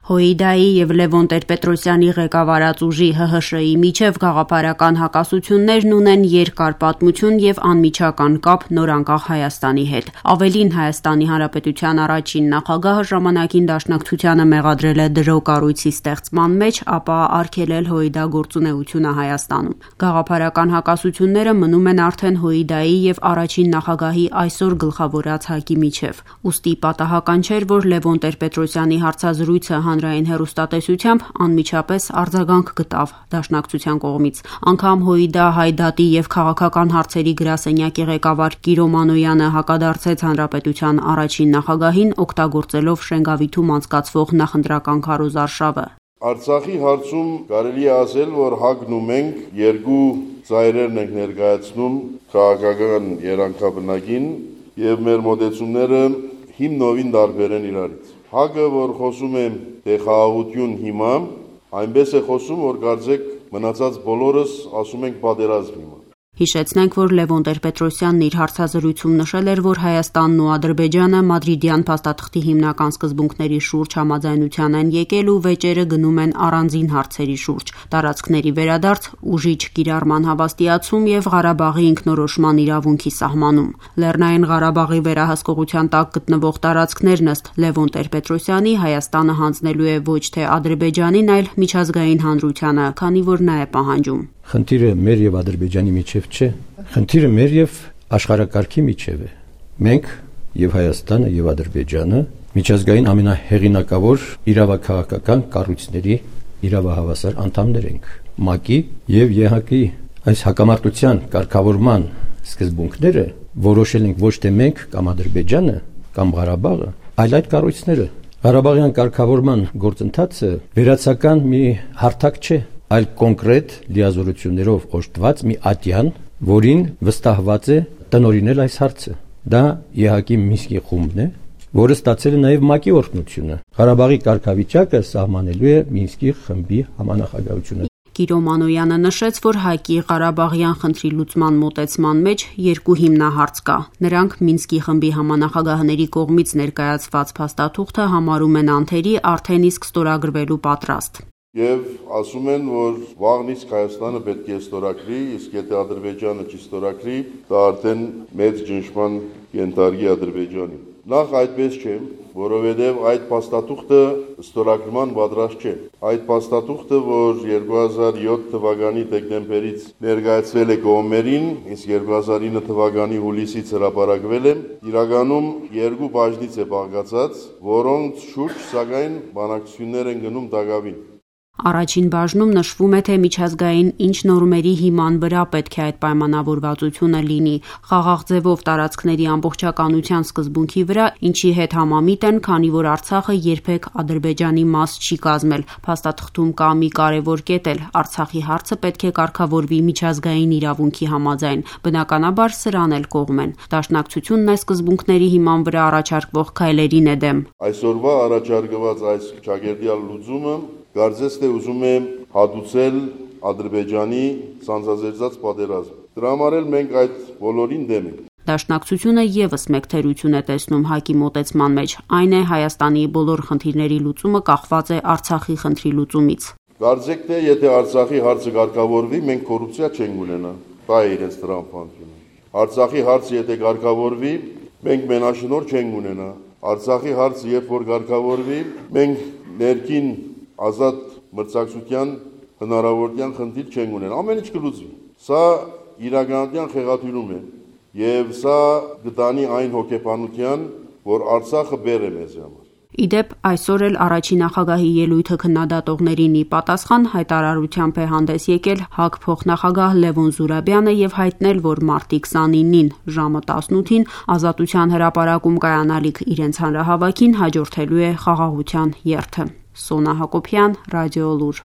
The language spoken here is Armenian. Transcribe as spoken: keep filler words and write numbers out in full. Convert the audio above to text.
ՀՅԴ-ի եւ Լևոն Տեր-Պետրոսյանի ղեկավարած ուժի Հ Հ Շ-ի միջև գաղափարական հակասություններն ունեն երկար պատմություն եւ անմիջական կապ նորանկախ Հայաստանի հետ։ Ավելին, Հայաստանի Հանրապետության առաջին նախագահը ժամանակին Դաշնակցությանը մեղադրել է դրոկառույցի ստեղծման մեջ, ապա արգելել ՀՅԴ գործունեությունը Հայաստանում։ Գաղափարական հակասությունները մնում են արդեն ՀՅԴ-ի եւ առաջին նախագահի այսօր գլխավորած ՀԱԿ-ի միջև։ Ուստի պատահական չէր, որ Լևոն Տեր-Պետրոսյանի հարցազրույցը հանրային հեռուստատեսությամբ անմիջապես արձագանք գտավ Դաշնակցության կողմից։ Անգամ ՀՅԴ Հայդատի եւ քաղաքական հարցերի գրասենյակի ղեկավար Կիրո Մանոյանը հակադարձեց հանրապետության առաջին նախագահին, օգտագործելով Շենգավիթում անցկացվող նախընտրական քարոզարշավը։ Արցախի հարցում կարելի է ասել, որ ՀԱԿ-ն ու մենք երկու ծայրերն ենք ներկայացնում քաղաքական երանգաբնակին եւ մեր մոտեցումները հիմնովին տարբեր են իրարից։ ՀԱԿ-ը, որ խոսում է թե խաղաղություն հիմա, այնպես է խոսում, որ կարծեք մնացած բոլորս ասում ենք պատերազմ հիմա։ Հիշեցնենք, որ Լևոն Տեր-Պետրոսյանն իր հարցազրույցում նշել էր, որ Հայաստանն ու Ադրբեջանը Մադրիդյան փաստաթղթի հիմնական սկզբունքների շուրջ համաձայնության են եկել ու վեճերը գնում են առանձին հարցերի շուրջ՝ տարածքների վերադարձ, ուժիչ կիրառման հավաստիացում եւ Ղարաբաղի ինքնորոշման իրավունքի սահմանում։ Լեռնային Ղարաբաղի վերահսկողության տակ գտնվող տարածքներն ըստ Լևոն Տեր-Պետրոսյանի Հայաստանը հանձնելու է ոչ թե Ադրբեջանին, այլ միջազգային հանրությանը, քանի որ նա է պահանջում։ Խնդիրը մեր եւ Ադրբեջանի միջև չէ, խնդիրը մեր եւ աշխարհակարգի միջև է։ Մենք եւ Հայաստանը եւ Ադրբեջանը միջազգային ամենահեղինակավոր իրավաքաղաքական կառույցների իրավահավասար անդամներ ենք։ ՄԱԿ-ի եւ Ե Հ Կ-ի այս հակամարտության կարգավորման սկզբունքները որոշել ենք ոչ թե մենք կամ Ադրբեջանը կամ Ղարաբաղը, այլ այդ կառույցները։ Ղարաբաղյան կարգավորման գործընթացը վերացական մի հարթակ չէ, այլ կոնկրետ լիազորություններով օժտված մի ատյան, որին վստահված է տնօրինել այս հարցը։ Դա Ե Հ Կ-ի Մինսկի խումբն է, որը ստացել է նաև ՄԱԿ-ի օրհնությունը։ Ղարաբաղի կարգավիճակը սահմանելու է Մինսկի խմբի համանախագահությունը։ Կիրո Մանոյանը նշեց, որ ՀԱԿ-ի Ղարաբաղյան խնդրի լուծման մոտեցման մեջ երկու հիմնահարց կա։ Նրանք Մինսկի խմբի համանախագահների կողմից ներկայացված փաստաթուղթը համարում են անթերի, արդեն իսկ ստորագրվելու պատրաստ։ Եվ ասում են, որ վաղն իսկ Հայաստանը պետք է ստորագրի, իսկ եթե Ադրբեջանը չի ստորագրի, դա արդեն մեծ ճնշման կենթարկի Ադրբեջանին։ Նախ այդպես չէ, որովհետև այդ փաստաթուղթը ստորագրման պատրաստ չէ։ Այդ փաստաթուղթը, որ երկու հազար յոթ թվականի դեկտեմբերից ներկայացվել է կողմերին, իսկ երկու հազար ինը թվականի հուլիսից հրապարակվել է, իրականում երկու բաժնից է բաղկացած, որոնց շուրջ սակայն բանակցություններ են գնում դակավին։ Առաջին բաժնում նշվում է, թե միջազգային ինչ նորմերի հիման վրա պետք է այդ պայմանավորվածությունը լինի, խաղաղ ձևով տարածքների ամբողջականության սկզբունքի վրա, ինչի հետ համամիտ են, քանի որ Արցախը երբեք Ադրբեջանի մաս չի կազմել։ Փաստաթղթում կա մի կարևոր կետ էլ՝ Արցախի հարցը պետք է կարգավորվի միջազգային իրավունքի համաձայն։ Բնականաբար սրան էլ կողմ են։ Դաշնակցությունն այս սկզբունքների հիման վրա առաջարկվող քայլերին է դեմ։ Այսօրվա առաջարկված այս ճակերտյալ լուծումը կարծես թե ուզում է հատուցել Ադրբեջանի սանձազերծած պատերազմը։ Դրա համար էլ մենք այդ բոլորին դեմ ենք։ Դաշնակցությունը եւս մեկ թերություն է տեսնում ՀԱԿ-ի մոտեցման մեջ, այն է Հայաստանի բոլոր խնդիրների լուծումը կախված է Արցախի խնդրի լուծումից։ Կարծեք թե եթե Արցախի հարցը կարգավորվի, մենք կոռուպցիա չենք ունենա։ Դա է իրենց տրամփանությունը։ Արցախի հարցը եթե կարգավորվի, մենք մենաշնորհ չենք ունենա։ Արցախի հարցը երբ որ կարգավորվի, մենք ներքին ազատ մրցակցության հնարավորության խնդիր չեն ունեն, ամեն ինչ կլուծվի։ Սա իրականության խեղաթյուրում է եւ սա գտանի այն հոգեբանության, որ Արցախը բեր է մեզ համար։ Իդեպ այսօր էլ առաջին նախագահի ելույթը քննադատողներին ի պատասխան հայտարարությամբ է հանդես եկել ՀԱԿ փոխնախագահ Լևոն Զուրաբյանը եւ հայտնել, որ մարտի քսանինին ժամը տասնութին Ազատության հրապարակում կայանալիք իրենց հանրահավաքին հաջորդելու է խաղաղության երթը։ Սոնա Հակոբյան, Ռադիո Լուր։